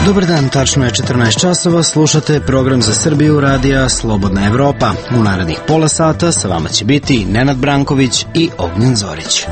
Dobar dan, tačno je 14 časova, slušate program za Srbiju radija Slobodna Evropa. U narednih pola sata sa vama će biti Nenad Branković i Ognjen Zorić.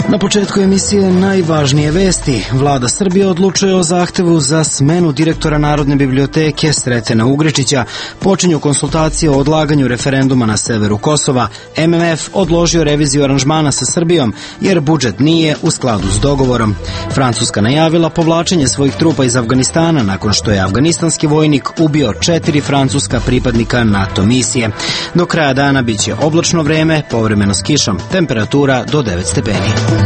Na početku emisije najvažnije vesti. Vlada Srbije odlučuje o zahtevu za smenu direktora Narodne biblioteke Sretena Ugričića. Počinju konsultacije o odlaganju referenduma na severu Kosova. MMF odložio reviziju aranžmana sa Srbijom jer budžet nije u skladu s dogovorom. Francuska najavila povlačenje svojih trupa iz Afganistana nakon što je afganistanski vojnik ubio 4 francuska pripadnika NATO misije. Do kraja dana biće oblačno vreme, povremeno s kišom, temperatura do 9 stepeni.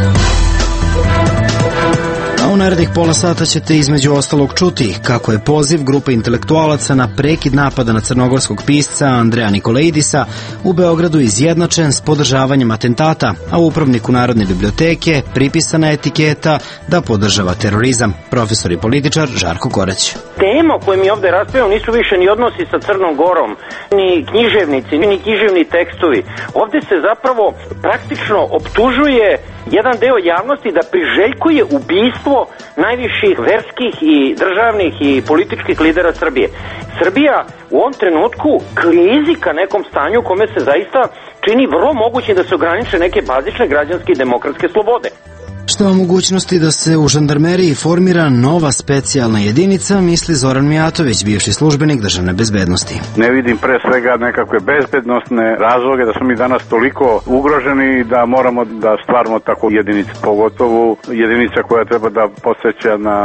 U narednih pola sata ćete između ostalog čuti kako je poziv grupe intelektualaca na prekid napada na crnogorskog pisca Andreja Nikolaidisa u Beogradu izjednačen s podržavanjem atentata, a upravniku Narodne biblioteke pripisana etiketa da podržava terorizam. Profesor i političar Žarko Korać. Tema o kojoj mi ovde raspravljamo nisu više ni odnosi sa Crnom Gorom, ni književnici, ni književni tekstovi. Ovde se zapravo praktično optužuje jedan deo javnosti da priželjkuje ubistvo najviših verskih i državnih i političkih lidera Srbije. Srbija u ovom trenutku klizi ka nekom stanju u kome se zaista čini vrlo moguće da se ograniče neke bazične građanske i demokratske slobode. Što o mogućnosti da se u žandarmeriji formira nova specijalna jedinica, misli Zoran Mijatović, bivši službenik državne bezbednosti. Ne vidim pre svega nekakve bezbednostne razloge da smo mi danas toliko ugroženi da moramo da stvaramo takvu jedinicu, pogotovo jedinica koja treba da podsjeća na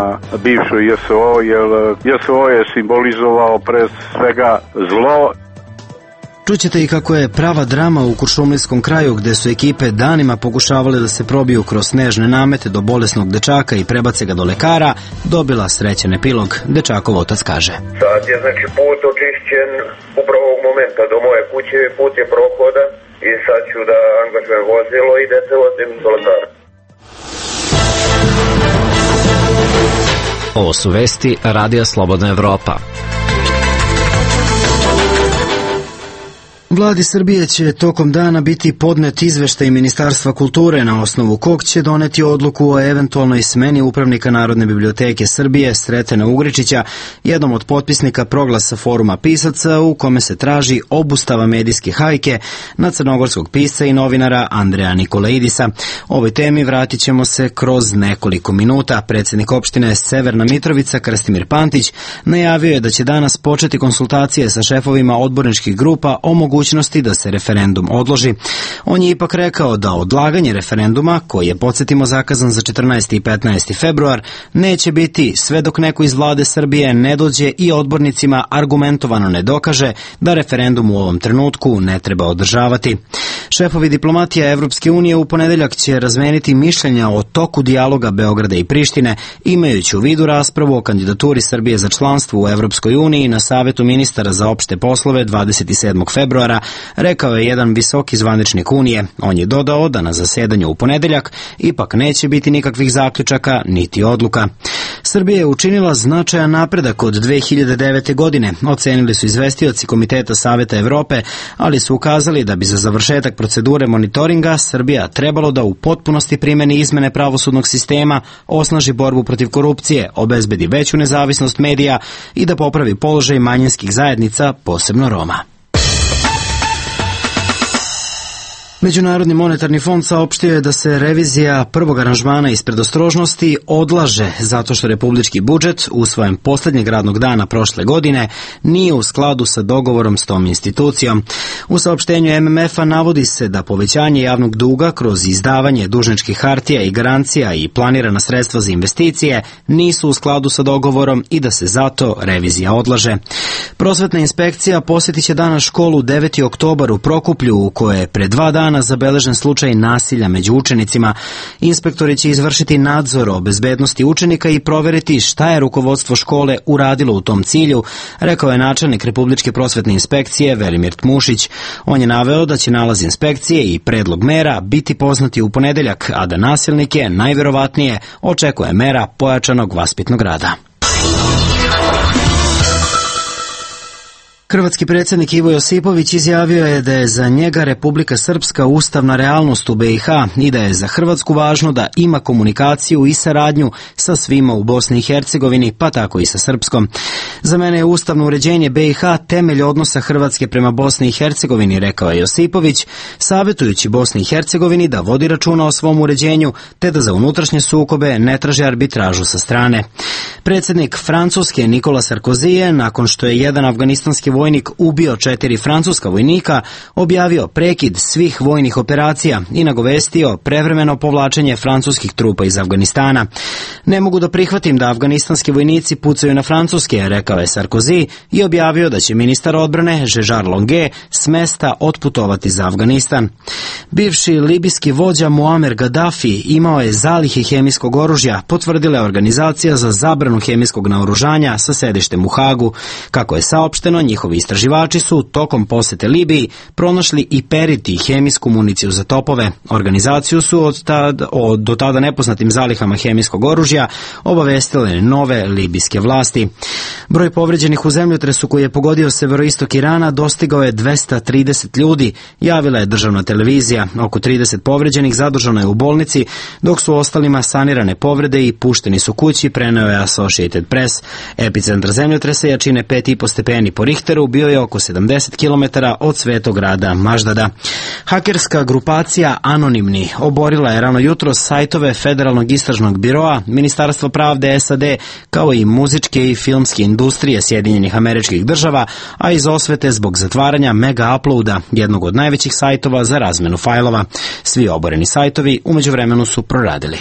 bivšu JSO, jer JSO je simbolizovao pre svega zlo. Čućete i kako je prava drama u kuršumlijskom kraju gde su ekipe danima pokušavale da se probiju kroz snežne namete do bolesnog dečaka i prebace ga do lekara, dobila srećan epilog. Dečakov otac kaže. Sad je znači put očišćen upravo ovog momenta do moje kuće, put je prohodan i sad ću da angažujem vozilo i da se vozim do lekara. Ovo su vesti Radija Slobodna Evropa. Vladi Srbije će tokom dana biti podnet izveštaj Ministarstva kulture na osnovu kog će doneti odluku o eventualnoj smeni upravnika Narodne biblioteke Srbije Sretena Ugričića, jednom od potpisnika proglasa Foruma pisaca u kome se traži obustava medijske hajke na crnogorskog pisca i novinara Andreja Nikolaidisa. Ovoj temi vratit ćemo se kroz nekoliko minuta. Predsednik opštine Severna Mitrovica Krstimir Pantić najavio je da će danas početi konsultacije sa šefovima odborničkih grupa o mogućnosti da se referendum odloži. On je ipak rekao da odlaganje referenduma, koji je, podsjetimo, zakazan za 14. i 15. februar, neće biti sve dok neko iz vlade Srbije ne dođe i odbornicima argumentovano ne dokaže da referendum u ovom trenutku ne treba održavati. Šefovi diplomatija Evropske unije u ponedeljak će razmeniti mišljenja o toku dijaloga Beograda i Prištine, imajući u vidu raspravu o kandidaturi Srbije za članstvo u Evropskoj uniji na Savetu ministara za opšte poslove 27. februara, rekao je jedan visoki zvaničnik Unije. On je dodao da na zasedanju u ponedeljak ipak neće biti nikakvih zaključaka niti odluka. Srbija je učinila značajan napredak od 2009. godine, ocenili su izvestioci Komiteta Saveta Evrope, ali su ukazali da bi za završetak procedure monitoringa Srbija trebalo da u potpunosti primeni izmene pravosudnog sistema, osnaži borbu protiv korupcije, obezbedi veću nezavisnost medija i da popravi položaj manjinskih zajednica, posebno Roma. Međunarodni monetarni fond saopštio je da se revizija prvog aranžmana iz predostrožnosti odlaže zato što republički budžet usvojen poslednjeg radnog dana prošle godine nije u skladu sa dogovorom s tom institucijom. U saopštenju MMF-a navodi se da povećanje javnog duga kroz izdavanje dužničkih hartija i garancija i planirana sredstva za investicije nisu u skladu sa dogovorom i da se zato revizija odlaže. Prosvetna inspekcija posjetit će danas školu 9. oktobar u Prokuplju u kojoj je pre 2 dana zabeležen slučaj nasilja među učenicima. Inspektori će izvršiti nadzor o bezbednosti učenika i proveriti šta je rukovodstvo škole uradilo u tom cilju, rekao je načelnik Republičke prosvetne inspekcije Velimir Tmušić. On je naveo da će nalaz inspekcije i predlog mera biti poznati u ponedeljak, a da nasilnike najverovatnije očekuje mera pojačanog vaspitnog rada. Hrvatski predsjednik Ivo Josipović izjavio je da je za njega Republika Srpska ustavna realnost u BiH i da je za Hrvatsku važno da ima komunikaciju i saradnju sa svima u Bosni i Hercegovini, pa tako i sa Srpskom. Za mene je ustavno uređenje BiH temelj odnosa Hrvatske prema Bosni i Hercegovini, rekao je Josipović, savjetujući Bosni i Hercegovini da vodi računa o svom uređenju, te da za unutrašnje sukobe ne traži arbitražu sa strane. Predsjednik Francuske Nikola Sarkozy je, nakon što je jedan afganistanski vojnik ubio 4 francuska vojnika, objavio prekid svih vojnih operacija i nagovestio prevremeno povlačenje francuskih trupa iz Afganistana. Ne mogu da prihvatim da afganistanski vojnici pucaju na francuske, rekao je Sarkozy i objavio da će ministar odbrane Žežar Longue s mesta otputovati za Afganistan. Bivši libijski vođa Muamer Gaddafi imao je zalihe hemijskog oružja, potvrdila je Organizacija za zabranu hemijskog naoružanja sa sedištem u Hagu. Kako je saopšteno, njihovi istraživači su tokom posete Libiji pronašli i perit i hemijsku municiju za topove. Organizaciju su o do tada nepoznatim zalihama hemijskog oružja obavestile nove libijske vlasti. Broj povređenih u zemljotresu koji je pogodio severoistok Irana dostigao je 230 ljudi, javila je državna televizija. Oko 30 povređenih zadržano je u bolnici, dok su ostalima sanirane povrede i pušteni su kući, preneo je Associated Press. Epicentar zemljotresa jačine 5,5 stepeni po Richteru bio je oko 70 km od svetog grada Maždada. Hakerska grupacija Anonimni oborila je rano jutro sajtove Federalnog istražnog biroa, Ministarstva pravde SAD, kao i muzičke i filmske industrije Sjedinjenih Američkih Država, a iz osvete zbog zatvaranja Mega Uploada, jednog od najvećih sajtova za razmenu fajlova. Svi oboreni sajtovi umeđu vremenu su proradili.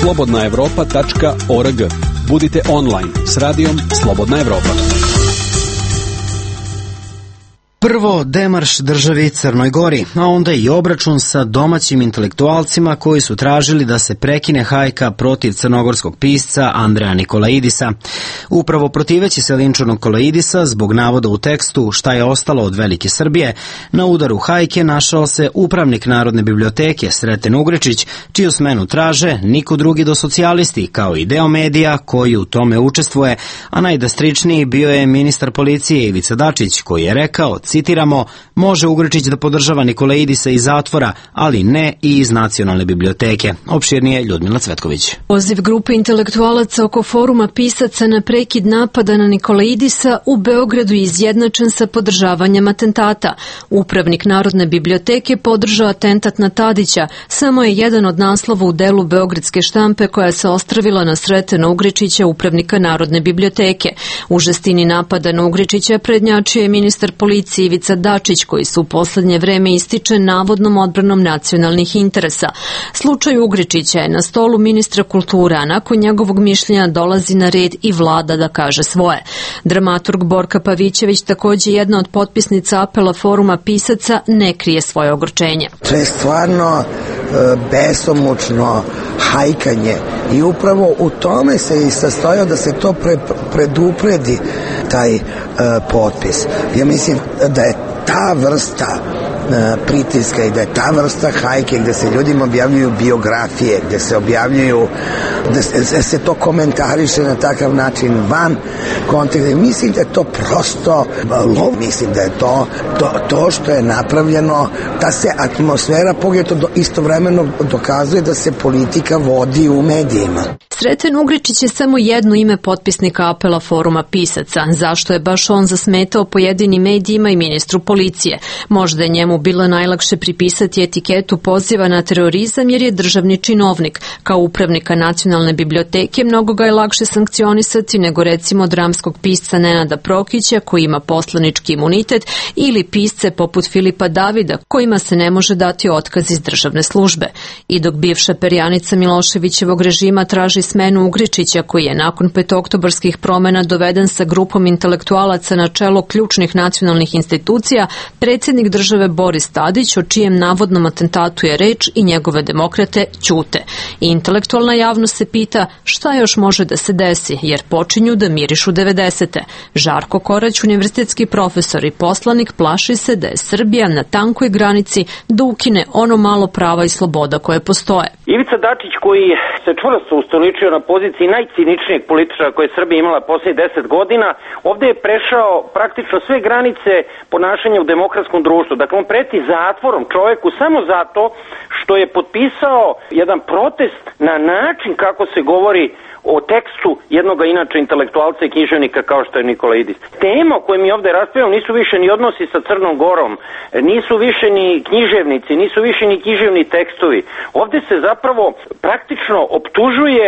slobodnaevropa.org. Budite online s radijom Slobodna Evropa. Prvo demarš državi Crnoj Gori, a onda i obračun sa domaćim intelektualcima koji su tražili da se prekine hajka protiv crnogorskog pisca Andreja Nikolaidisa. Upravo protiveći se linču Nikolaidisa zbog navoda u tekstu Šta je ostalo od Velike Srbije, na udaru hajke našao se upravnik Narodne biblioteke Sreten Ugričić, čiju smenu traže niko drugi do socijalisti, kao i deo medija koji u tome učestvuje, a najdrastičniji bio je ministar policije Ivica Dačić, koji je rekao, citiramo, može Ugričić da podržava Nikolaidisa iz zatvora, ali ne i iz Nacionalne biblioteke. Opširnije Ljudmila Cvetković. Poziv grupe intelektualaca oko foruma pisaca na prekid napada na Nikolaidisa u Beogradu je izjednačen sa podržavanjem atentata. Upravnik Narodne biblioteke podržao atentat na Tadića, samo je jedan od naslova u delu beogradske štampe koja se ostravila na Sretena Ugričića, upravnika Narodne biblioteke. U žestini napada na Ugričića prednjačio je ministar policije Ivica Dačić, koji se u poslednje vreme ističe navodnom odbranom nacionalnih interesa. Slučaj Ugričića je na stolu ministra kulture, a nakon njegovog mišljenja dolazi na red i vlada da kaže svoje. Dramaturg Borka Pavićević, takođe jedna od potpisnica apela foruma pisaca, ne krije svoje ogorčenje. To je stvarno besomučno hajkanje i upravo u tome se i sastojao da se to predupredi taj potpis. Ja mislim da je ta vrsta pritiska i da je ta vrsta hajke gde se ljudima objavljuju biografije, gde se objavljuju, da se to komentariše na takav način van konteksta. Mislim da je to prosto lov. Mislim da je to što je napravljeno, da se atmosfera pogledaj istovremeno dokazuje da se politika vodi u medijima. Sreten Ugričić je samo jedno ime potpisnika apela foruma pisaca. Zašto je baš on zasmetao pojedinim medijima i ministru policije? Možda je njemu bilo najlakše pripisati etiketu poziva na terorizam jer je državni činovnik. Kao upravnika Nacionalne biblioteke mnogo ga je lakše sankcionisati nego recimo dramskog pisca Nenada Prokića koji ima poslanički imunitet ili pisce poput Filipa Davida kojima se ne može dati otkaz iz državne službe. I dok bivša perjanica Miloševićevog režima traži smenu Ugričića koji je nakon petooktobarskih promena doveden sa grupom intelektualaca na čelo ključnih nacionalnih institucija, predsjednik države Boris Tadić, o čijem navodnom atentatu je reč, i njegove demokrate ćute. I intelektualna javnost se pita šta još može da se desi, jer počinju da mirišu 90. Žarko Korać, univerzitetski profesor i poslanik, plaši se da je Srbija na tankoj granici da ukine ono malo prava i sloboda koje postoje. Ivica Dačić, koji se čvrsto ustoličio oličio na poziciji najciničnijeg političara koje je Srbija imala posljednjih 10 godina, ovde je prešao praktično sve granice ponašanja u demokratskom društvu. Dakle, on preti zatvorom čoveku samo zato što je potpisao jedan protest na način kako se govori o tekstu jednoga inače intelektualca i književnika kao što je Nikola Idis. Tema o kojoj mi ovde raspravljamo nisu više ni odnosi sa Crnom Gorom, nisu više ni književnici, nisu više ni književni tekstovi. Ovde se zapravo praktično optužuje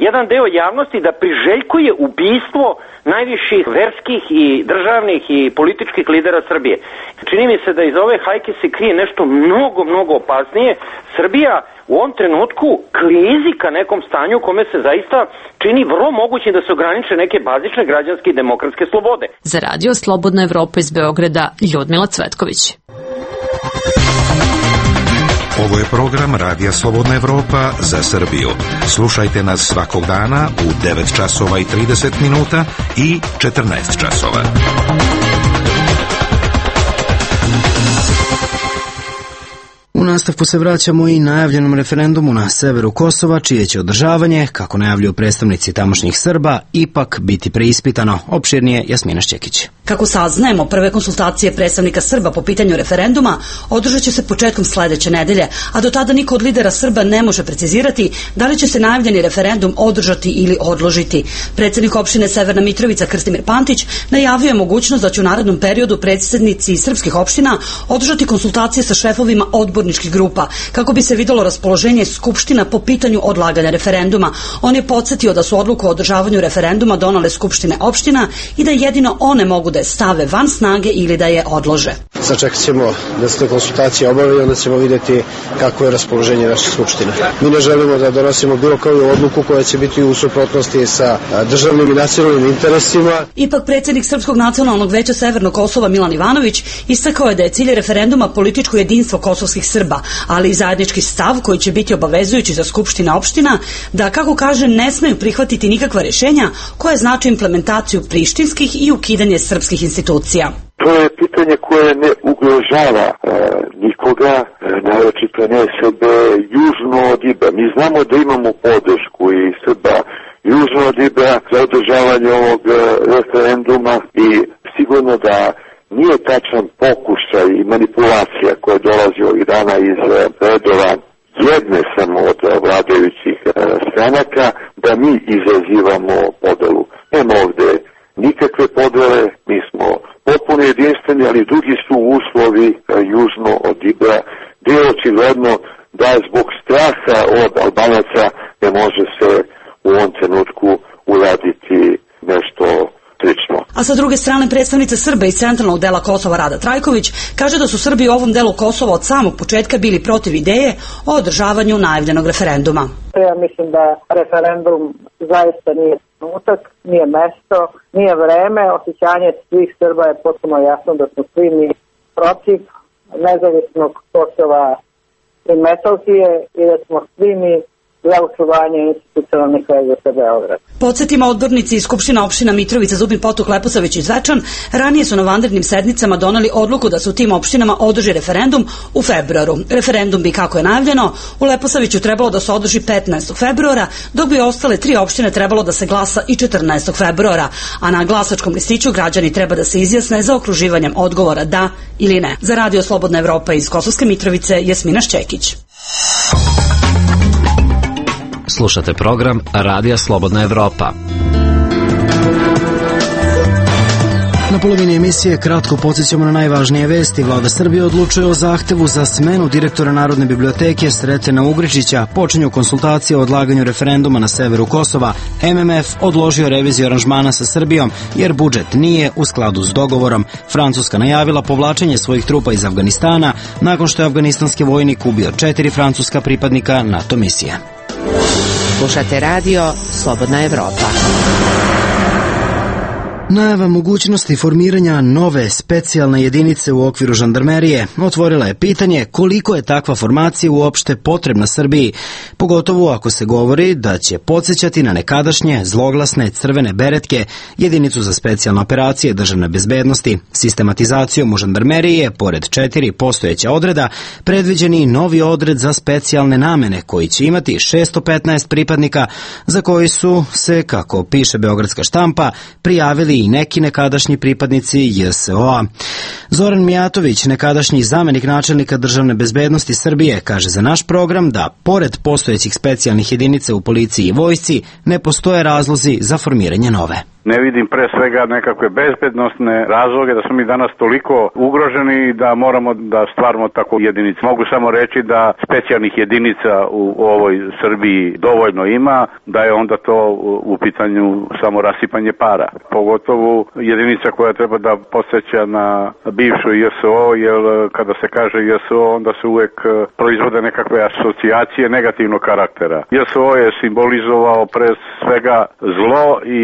jedan deo javnosti da priželjkuje ubistvo najviših verskih i državnih i političkih lidera Srbije. Čini mi se da iz ove hajke se krije nešto mnogo opasnije. Srbija u ovom trenutku klizi ka nekom stanju kome se zaista čini vrlo mogućim da se ograniče neke bazične građanske i demokratske slobode. Za radio Slobodna Evropa iz Beograda, Ljudmila Cvetković. Ovo je program Radija Slobodna Evropa za Srbiju. Slušajte nas svakog dana u 9 časova i 30 minuta i 14 časova. U nastavku se vraćamo i najavljenom referendumu na severu Kosova, čije će održavanje, kako najavljuju predstavnici tamošnjih Srba, ipak biti preispitano. Opširnije Jasmina Šćekić. Kako saznajemo, prve konsultacije predstavnika Srba po pitanju referenduma održat će se početkom sledeće nedelje, a do tada niko od lidera Srba ne može precizirati da li će se najavljeni referendum održati ili odložiti. Predsednik opštine Severna Mitrovica Krstimir Pantić najavio je mogućnost da će u narednom periodu predsednici srpskih opština održati konsultacije sa šefovima odborničkih grupa kako bi se videlo raspoloženje skupština po pitanju odlaganja referenduma. On je podsjetio da su odluku o održavanju referenduma donale skupštine opština i da jedino one mogu da je stave van snage ili da je odlože. Sačekat ćemo da se te konsultacije obave i onda ćemo vidjeti kako je raspoloženje naše skupštine. Mi ne želimo da donosimo bilo koju odluku koja će biti u suprotnosti sa državnim i nacionalnim interesima. Ipak predsjednik Srpskog nacionalnog veća Severnog Kosova Milan Ivanović istakao je da je cilj referenduma političko jedinstvo kosovskih Srba, ali i zajednički stav koji će biti obavezujući za skupštine opština da, kako kaže, ne smeju prihvatiti nikakva rješenja koje znače implementaciju prištinskih i ukidanje srpskih institucija. To je pitanje koje ne ugrožava nikoga, naročito ne Srbe južno od Ibra. Mi znamo da imamo podršku i Srba južno od Ibra za održavanje ovog referenduma i sigurno da nije tačan pokušaj i manipulacija koja dolazi ovih dana iz redova jedne samo od vladajućih stranaka da mi izazivamo podelu. Nema ovde nikakve podele, mi smo potpuno jedinstveni, ali drugi su uslovi južno od Ibra, gdje je očigledno da zbog straha od Albanaca ne može se u ovom trenutku uraditi nešto slično. A sa druge strane, predstavnica Srba iz centralnog dela Kosova Rada Trajković kaže da su Srbi u ovom delu Kosova od samog početka bili protiv ideje o održavanju najavljenog referenduma. Ja mislim da referendum zaista nije trenutak, nije mesto, nije vreme. Osjećanje svih Srba je potpuno jasno da smo svi mi protiv nezavisnog Kosova i Metohije i da smo svi mi za očuvanje institucionalnih veza sa Beograd. Podsjetimo, odbornici iz Skupština opština Mitrovica, Zubin Potok, Leposavić i Zvečan ranije su na vanrednim sednicama doneli odluku da se u tim opštinama održi referendum u februaru. Referendum bi, kako je najavljeno, u Leposaviću trebalo da se održi 15. februara, dok bi ostale 3 opštine trebalo da se glasa i 14. februara, a na glasačkom listiću građani treba da se izjasne za okruživanjem odgovora da ili ne. Za radio Slobodna Evropa iz Kosovske Mitrovice, Jasmina Šćekić. Slušate program Radija Slobodna Evropa. Na polovini emisije kratko podsjećamo na najvažnije vesti. Vlada Srbije odlučuje o zahtevu za smenu direktora Narodne biblioteke Sretena Ugričića. Počinju konsultacije o odlaganju referenduma na severu Kosova. MMF odložio reviziju aranžmana sa Srbijom jer budžet nije u skladu s dogovorom. Francuska najavila povlačenje svojih trupa iz Afganistana nakon što je afganistanski vojnik ubio 4 francuska pripadnika NATO misije. Slušate radio Slobodna Evropa. Najava mogućnosti formiranja nove specijalne jedinice u okviru žandarmerije otvorila je pitanje koliko je takva formacija uopšte potrebna Srbiji, pogotovo ako se govori da će podsjećati na nekadašnje zloglasne crvene beretke, jedinicu za specijalne operacije državne bezbednosti. Sistematizacijom u žandarmeriji je, pored 4 postojeća odreda, predviđeni novi odred za specijalne namene koji će imati 615 pripadnika, za koji su se, kako piše beogradska štampa, prijavili i neki nekadašnji pripadnici JSO-a. Zoran Mijatović, nekadašnji zamenik načelnika državne bezbednosti Srbije, kaže za naš program da, pored postojećih specijalnih jedinica u policiji i vojsci, ne postoje razlozi za formiranje nove. Ne vidim pre svega nekakve bezbednostne razloge da smo mi danas toliko ugroženi da moramo da stvaramo tako jedinicu. Mogu samo reći da specijalnih jedinica u ovoj Srbiji dovoljno ima, da je onda to u pitanju samo rasipanje para. Pogotovo jedinica koja treba da podsjeća na bivšu JSO, jer kada se kaže JSO onda se uvek proizvode nekakve asocijacije negativnog karaktera. JSO je simbolizovao pre svega zlo i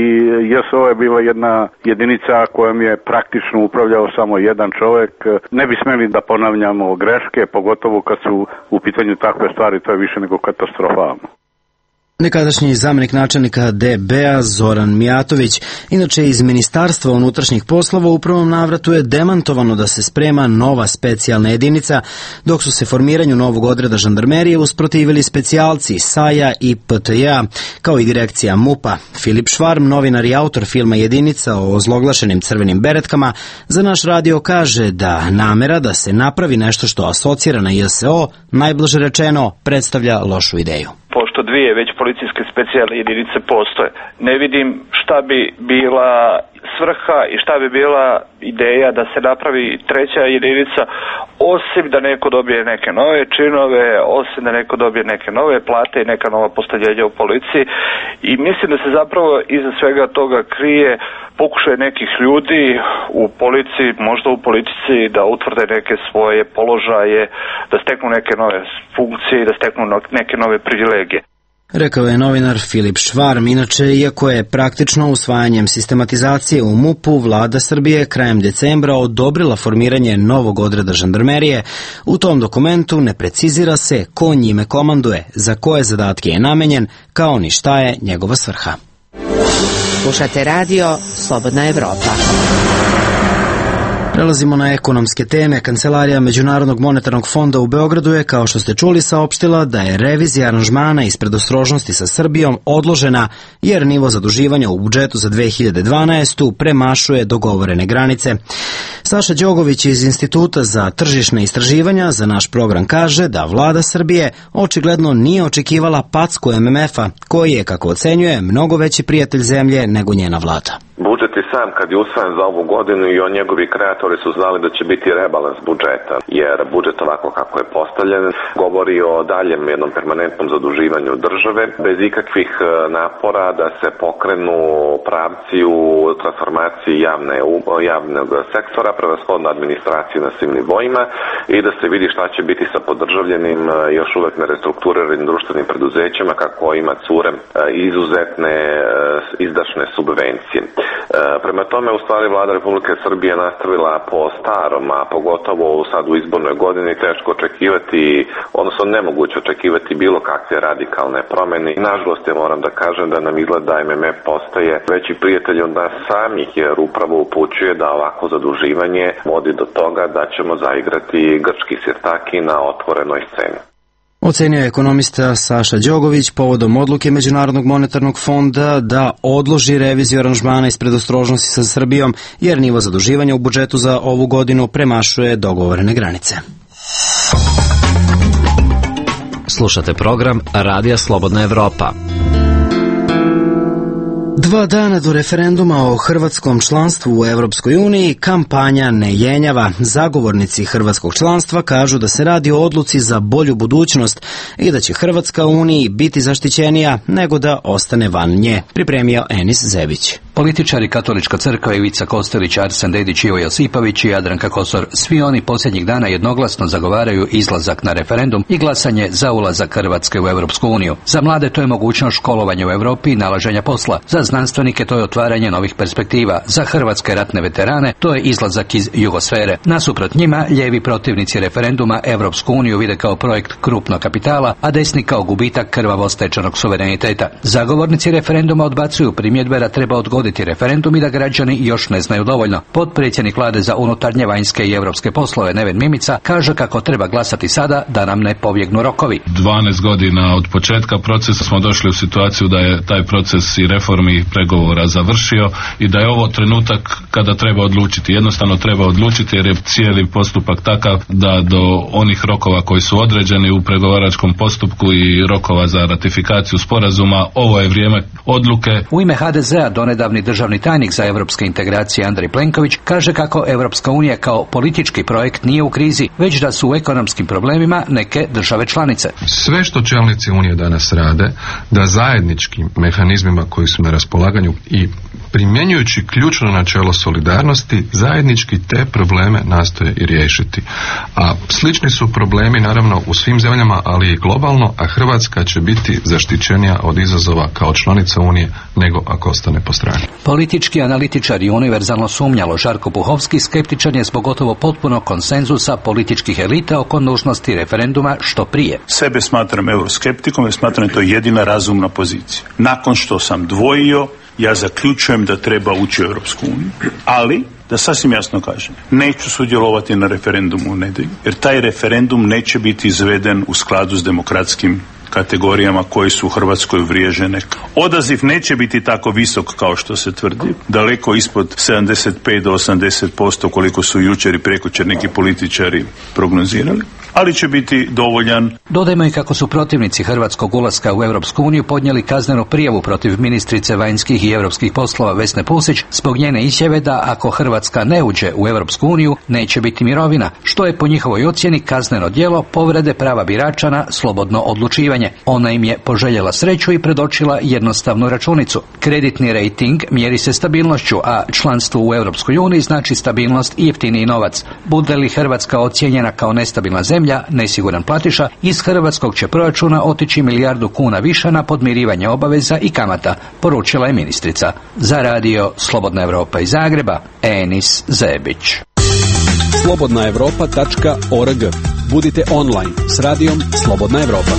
JSO je bila jedna jedinica kojom je praktično upravljao samo jedan čovjek. Ne bi smeli da ponavljamo greške, pogotovo kad su u pitanju takve stvari, to je više nego katastrofalno. Nekadašnji zamenik načelnika DB-a Zoran Mijatović, inače iz Ministarstva unutrašnjih poslova, u prvom navratu je demantovano da se sprema nova specijalna jedinica, dok su se formiranju novog odreda žandarmerije usprotivili specijalci SAJ-a i PTJ-a, kao i direkcija MUP-a. Filip Švarm, novinar i autor filma Jedinica o ozloglašenim crvenim beretkama, za naš radio kaže da namera da se napravi nešto što asocira na JSO, najblaže rečeno, predstavlja lošu ideju. Pošto dvije već policijske specijalne jedinice postoje, ne vidim šta bi bila svrha i šta bi bila ideja da se napravi treća jedinica, osim da neko dobije neke nove činove, osim da neko dobije neke nove plate i neka nova postavljenja u policiji. I mislim da se zapravo iza svega toga krije pokušaj nekih ljudi u policiji, možda u politici, da utvrde neke svoje položaje, da steknu neke nove funkcije i da steknu neke nove privilegije. Rekao je novinar Filip Švarm. Inače, iako je praktično usvajanjem sistematizacije u MUP-u, vlada Srbije krajem decembra odobrila formiranje novog odreda žandarmerije, u tom dokumentu ne precizira se ko njime komanduje, za koje zadatke je namenjen, kao ni šta je njegova svrha. Slušate radio Slobodna Evropa. Prelazimo na ekonomske teme. Kancelarija Međunarodnog monetarnog fonda u Beogradu je, kao što ste čuli, saopštila da je revizija aranžmana iz predostrožnosti sa Srbijom odložena jer nivo zaduživanja u budžetu za 2012. premašuje dogovorene granice. Saša Đogović iz Instituta za tržišne istraživanja za naš program kaže da vlada Srbije očigledno nije očekivala packu MMF-a, koji je, kako ocenjuje, mnogo veći prijatelj zemlje nego njena vlada. Budžet je sam kad je usvojen za ovu godinu i njegovi kreatori su znali da će biti rebalans budžeta, jer budžet ovako kako je postavljen govori o daljem jednom permanentnom zaduživanju države, bez ikakvih napora da se pokrenu pravci u transformaciji javnog sektora, prevashodno administracije na svim nivoima i da se vidi šta će biti sa podržavljenim još uvek nerestrukturiranim društvenim preduzećima kako ima cure izuzetne izdašne subvencije. Prema tome, u stvari, vlada Republike Srbije nastavila po starom, a pogotovo sad u izbornoj godini teško očekivati, odnosno nemoguće očekivati bilo kakve radikalne promene. I nažalost, ja moram da kažem da nam izgleda MMF postaje veći prijatelj od nas samih, jer upravo upućuje da ovako zaduživanje vodi do toga da ćemo zaigrati grčki sirtaki na otvorenoj sceni. Ocenio je ekonomista Saša Đogović povodom odluke Međunarodnog monetarnog fonda da odloži reviziju aranžmana iz predostrožnosti sa Srbijom, jer nivo zaduživanja u budžetu za ovu godinu premašuje dogovorene granice. Slušate program Radija Slobodna Evropa. 2 dana do referenduma o hrvatskom članstvu u Evropskoj uniji kampanja ne jenjava. Zagovornici hrvatskog članstva kažu da se radi o odluci za bolju budućnost i da će Hrvatska u Uniji biti zaštićenija nego da ostane van nje, pripremio Enis Zebić. Političari Katolička crkva, Ivica Kostelić, Arsen Dedić, Ivo Josipović i Jadranka Kosor, svi oni posljednjih dana jednoglasno zagovaraju izlazak na referendum i glasanje za ulazak Hrvatske u Europsku uniju. Za mlade to je mogućnost školovanja u Europi i nalaženja posla. Za znanstvenike to je otvaranje novih perspektiva. Za hrvatske ratne veterane to je izlazak iz jugosfere. Nasuprot njima, lijevi protivnici referenduma Europsku uniju vide kao projekt krupnog kapitala, a desni kao gubitak krvavo stečenog suvereniteta. Zagovornici referenduma odbacuju primjedbe da treba odgoditi referendum i da građani još ne znaju dovoljno. Potpredsjednik Vlade za unutarnje, vanjske i europske poslove Neven Mimica kaže kako treba glasati sada da nam ne pobjegnu rokovi. 12 godina od početka procesa smo došli u situaciju da je taj proces i reformi i pregovora završio i da je ovo trenutak kada treba odlučiti. Jednostavno treba odlučiti jer je cijeli postupak takav da do onih rokova koji su određeni u pregovaračkom postupku i rokova za ratifikaciju sporazuma, ovo je vrijeme odluke. U ime HDZ-a donedavni državni tajnik za europske integracije Andrej Plenković kaže kako Europska unija kao politički projekt nije u krizi, već da su u ekonomskim problemima neke države članice. Sve što čelnici Unije danas rade, da zajedničkim mehanizmima koji su na raspolaganju i primjenjujući ključno načelo solidarnosti, zajednički te probleme nastoje i riješiti. A slični su problemi naravno u svim zemljama, ali i globalno, a Hrvatska će biti zaštićenija od izazova kao članica Unije nego ako ostane po strani. Politički analitičar i univerzalno sumnjalo Žarko Puhovski skeptičan je zbog gotovo potpunog konsenzusa političkih elita oko nužnosti referenduma što prije. Sebe smatram euroskeptikom jer smatram da to je jedina razumna pozicija. Nakon što sam dvojio, ja zaključujem da treba ući u Europsku uniju, ali da sasvim jasno kažem, neću sudjelovati na referendumu u nedjelju, jer taj referendum neće biti izveden u skladu s demokratskim kategorijama koje su u Hrvatskoj uvriježene. Odaziv neće biti tako visok kao što se tvrdi, daleko ispod 75 do 80% koliko su jučer i prekjučer neki političari prognozirali, ali će biti dovoljan. Dodajmo i kako su protivnici hrvatskog ulaska u Europsku uniju podnijeli kaznenu prijavu protiv ministrice vanjskih i europskih poslova Vesne Pusić zbog njene izjave da ako Hrvatska ne uđe u Europsku uniju neće biti mirovina, što je po njihovoj ocjeni kazneno djelo povrede prava birača na slobodno odlučivanje. Ona im je poželjela sreću i predočila jednostavnu računicu. Kreditni rejting mjeri se stabilnošću, a članstvo u Europskoj uniji znači stabilnost i jeftiniji novac. Bude li Hrvatska ocijenjena kao nestabilna zemlja, nesiguran platiša, iz hrvatskog će proračuna otići milijardu kuna više na podmirivanje obaveza i kamata, poručila je ministrica. Za radio Slobodna Evropa iz Zagreba, Enis Zebić. slobodnaevropa.org. Budite online s radijom Slobodna Evropa.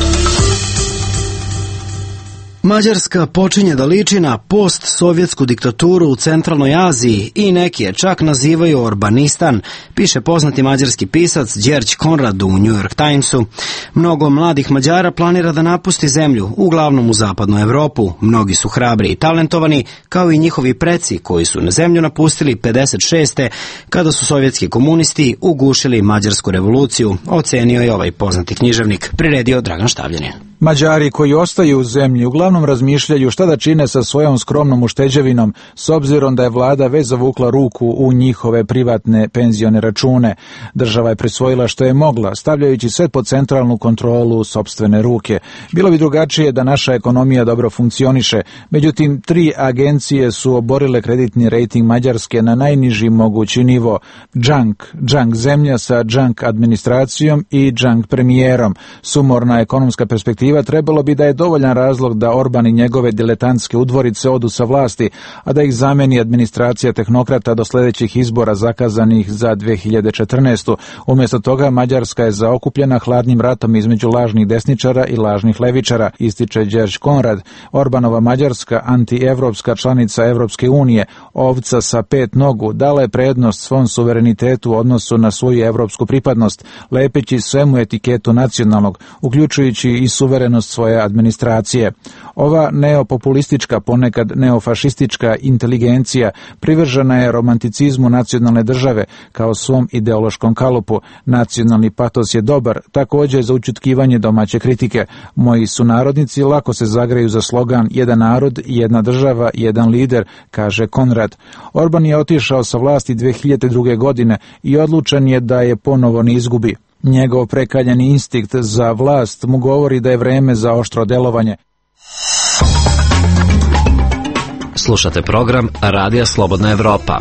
Mađarska počinje da liči na post-sovjetsku diktaturu u centralnoj Aziji i neki je čak nazivaju Orbanistan, piše poznati mađarski pisac Đerđ Konrad u New York Timesu. Mnogo mladih Mađara planira da napusti zemlju, uglavnom u zapadnu Evropu. Mnogi su hrabri i talentovani, kao i njihovi preci koji su na zemlju napustili 56. kada su sovjetski komunisti ugušili mađarsku revoluciju, ocenio je ovaj poznati književnik, priredio Dragan Štavljanin. Mađari koji ostaju u zemlji uglavnom razmišljaju šta da čine sa svojom skromnom ušteđevinom, s obzirom da je vlada već zavukla ruku u njihove privatne penzione račune. Država je prisvojila što je mogla, stavljajući sve pod centralnu kontrolu u sopstvene ruke. Bilo bi drugačije da naša ekonomija dobro funkcioniše, međutim 3 agencije su oborile kreditni rejting Mađarske na najniži mogući nivo. Junk zemlja sa junk administracijom i junk premijerom. Sumorna ekonomska perspektiva trebalo bi da je dovoljan razlog da Orban i njegove diletantske udvorice odu sa vlasti, a da ih zameni administracija tehnokrata do sljedećih izbora zakazanih za 2014. Umjesto toga Mađarska je zaokupljena hladnim ratom između lažnih desničara i lažnih levičara, ističe Đerđ Konrad. Orbanova Mađarska, antievropska članica Evropske unije, ovca sa 5 nogu, dala je prednost svom suverenitetu u odnosu na svoju evropsku pripadnost, lepeći svemu etiketu nacionalnog, uključujući i suverenost svoje administracije. Ova neopopulistička, ponekad neofašistička inteligencija privržena je romanticizmu nacionalne države kao svom ideološkom kalupu. Nacionalni patos je dobar, također za učutkivanje domaće kritike. Moji sunarodnici lako se zagreju za slogan jedan narod, jedna država, jedan lider, kaže Konrad. Orban je otišao sa vlasti 2002. godine i odlučan je da je ponovo ne izgubi. Njegov prekaljeni instinkt za vlast mu govori da je vreme za oštro delovanje. Slušate program Radija Slobodna Evropa.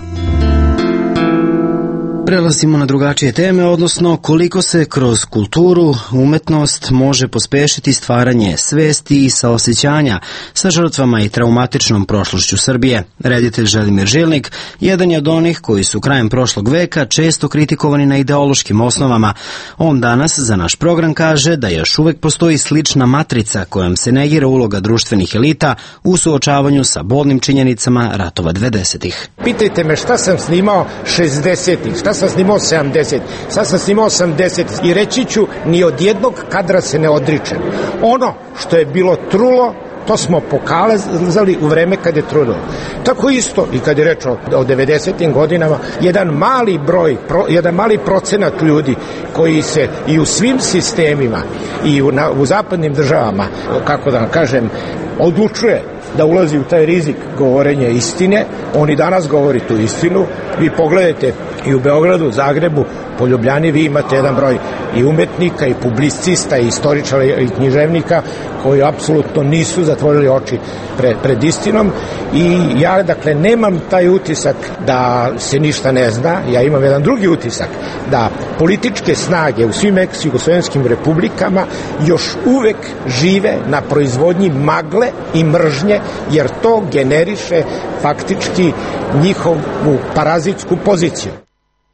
Prelazimo na drugačije teme, odnosno koliko se kroz kulturu, umetnost može pospešiti stvaranje svesti i saosećanja sa žrtvama i traumatičnom prošlošću Srbije. Reditelj Želimir Žilnik jedan je od onih koji su krajem prošlog veka često kritikovani na ideološkim osnovama. On danas za naš program kaže da još uvek postoji slična matrica kojom se negira uloga društvenih elita u suočavanju sa bolnim činjenicama ratova 20-ih. Pitajte me šta sam snimao 60-ih, šta sam snimao 70, sad sam snimao 80 i reći ću ni od jednog kadra se ne odričem. Ono što je bilo trulo, to smo pokazali u vreme kad je trulo. Tako isto i kad je reč o 90. godinama, jedan mali procenat ljudi koji se i u svim sistemima i u zapadnim državama, kako da kažem, odlučuje da ulazi u taj rizik govorenja istine, on i danas govori tu istinu. Vi pogledajte i u Beogradu, Zagrebu, po Ljubljani vi imate jedan broj i umetnika i publicista i istoričara i književnika koji apsolutno nisu zatvorili oči pred istinom i ja dakle nemam taj utisak da se ništa ne zna, ja imam jedan drugi utisak da političke snage u svim ex-jugoslovenskim republikama još uvek žive na proizvodnji magle i mržnje, jer to generiše faktički njihovu parazitsku poziciju.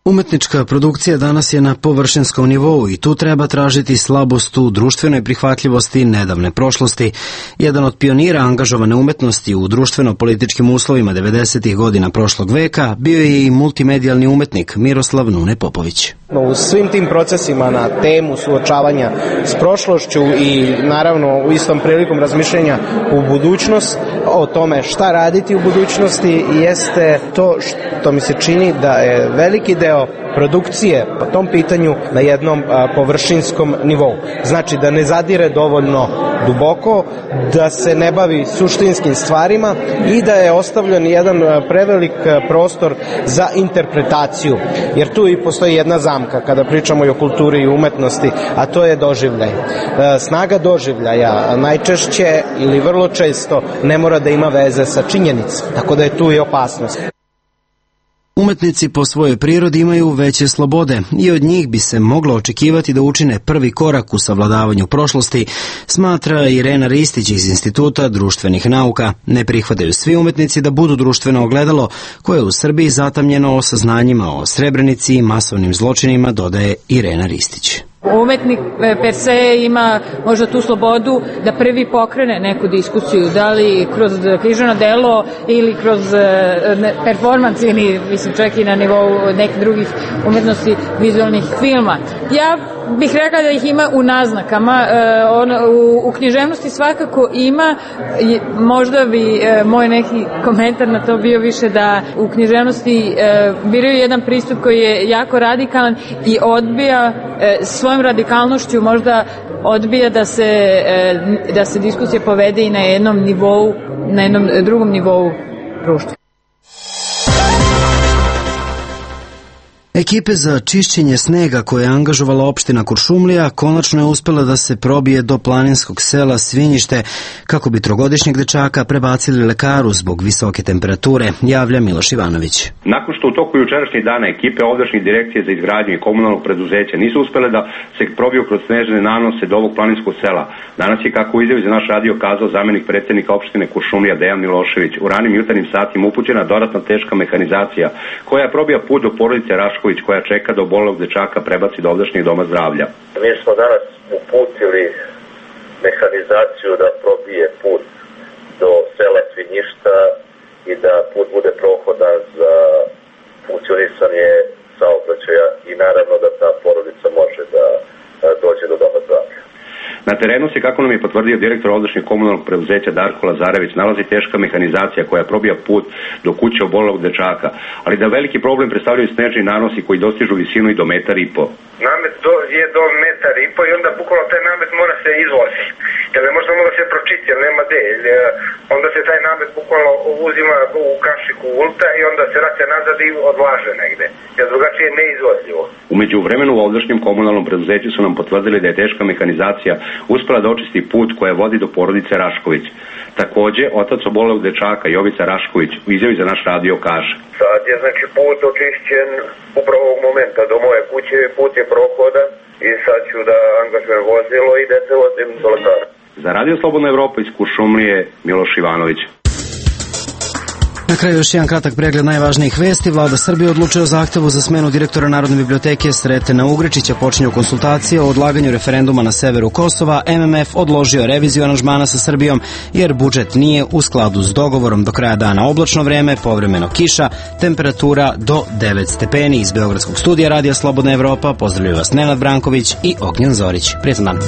Umetnička produkcija danas je na površinskom nivou i tu treba tražiti slabost u društvenoj prihvatljivosti nedavne prošlosti. Jedan od pionira angažovane umetnosti u društveno-političkim uslovima 90. godina prošlog veka bio je i multimedijalni umetnik Miroslav Nune Popović. U svim tim procesima na temu suočavanja s prošlošću i naravno u istom prilikom razmišljenja u budućnost, o tome šta raditi u budućnosti, jeste to što mi se čini da je veliki deo produkcije po tom pitanju na jednom površinskom nivou. Znači da ne zadire dovoljno duboko, da se ne bavi suštinskim stvarima i da je ostavljen jedan prevelik prostor za interpretaciju. Jer tu i postoji jedna zamka kada pričamo i o kulturi i umetnosti, a to je doživljaj. Snaga doživljaja najčešće ili vrlo često ne mora da ima veze sa činjenicom, tako da je tu i opasnost. Umetnici po svojoj prirodi imaju veće slobode i od njih bi se moglo očekivati da učine prvi korak u savladavanju prošlosti, smatra Irena Ristić iz Instituta društvenih nauka. Ne prihvataju svi umetnici da budu društveno ogledalo koje je u Srbiji zatamnjeno o saznanjima o Srebrenici i masovnim zločinima, dodaje Irena Ristić. Umetnik per se ima možda tu slobodu da prvi pokrene neku diskusiju, da li kroz književno delo ili kroz performans ili mislim čak i na nivou nekih drugih umetnosti vizualnih filma. Ja bih rekla da ih ima u naznakama, u književnosti svakako ima, možda bi moj neki komentar na to bio više da u književnosti biraju jedan pristup koji je jako radikalan i odbija svojom radikalnošću možda odbija da se diskusija povede i na jednom nivou, na jednom drugom nivou društva. Ekipe za čišćenje snega koje je angažovala opština Kuršumlija konačno je uspela da se probije do planinskog sela Svinjište kako bi trogodišnjeg dečaka prebacili lekaru zbog visoke temperature, javlja Miloš Ivanović. Nakon što u toku jučerašnjih dana ekipe ovdašnjih direkcije za izgradnju i komunalnog preduzeća nisu uspele da se probiju kroz snežne nanose do ovog planinskog sela, danas je, kako u izjavi za naš radio kazao zamenik predsednika opštine Kuršumlija Dejan Milošević, u ranim jutarnjim satima upućena dodatna teška mehanizacija koja probija put do porodice Rašković koja čeka da obolelog dečaka prebaci do ovdašnjeg doma zdravlja. Mi smo danas uputili mehanizaciju da probije put do sela Svinjišta i da put bude prohodan za funkcionisanje saobraćaja i naravno da ta porodica može da dođe do doma zdravlja. Na terenu se, kako nam je potvrdio direktor ovdašnjeg komunalnog preduzeća Darko Lazarević, nalazi teška mehanizacija koja probija put do kuće obolelog dečaka, ali da veliki problem predstavljaju snežni nanosi koji dostižu visinu i do 1,5 metra. Namet je do 1,5 metra i onda bukvalno taj namet mora se izvozi. Jer ne može da se pročiti, jer nema gde. Onda se taj namet bukvalno uzima u kašiku ulta i onda se vraća nazad i odlaže negde. Jer drugačije je neizvozljivo. U Umeđu vremenu u ovdašnjem komunalnom preduzeću su nam potvrdili da je teška mehanizacija uspela da očisti put koja vodi do porodice Rašković. Takođe, otac obolelog dečaka Jovica Rašković u izjavi za naš radio kaže: Sad je znači put očišćen upravo ovog momenta do moje kuće, put je prohodan i sad ću da angažujem vozilo i da se vozim do lekara. Za Radio Slobodna Evropa iz Kuršumlije, Miloš Ivanović. Na kraju još jedan kratak pregled najvažnijih vesti. Vlada Srbije odlučuje o zahtevu za smenu direktora Narodne biblioteke Sretena Ugričića. Počinju konsultacije o odlaganju referenduma na severu Kosova. MMF odložio reviziju aranžmana sa Srbijom jer budžet nije u skladu s dogovorom. Do kraja dana oblačno vreme, povremeno kiša, temperatura do 9 stepeni. Iz Beogradskog studija Radija Slobodna Evropa pozdravljaju vas Nenad Branković i Ognjen Zorić. Prijetan dan.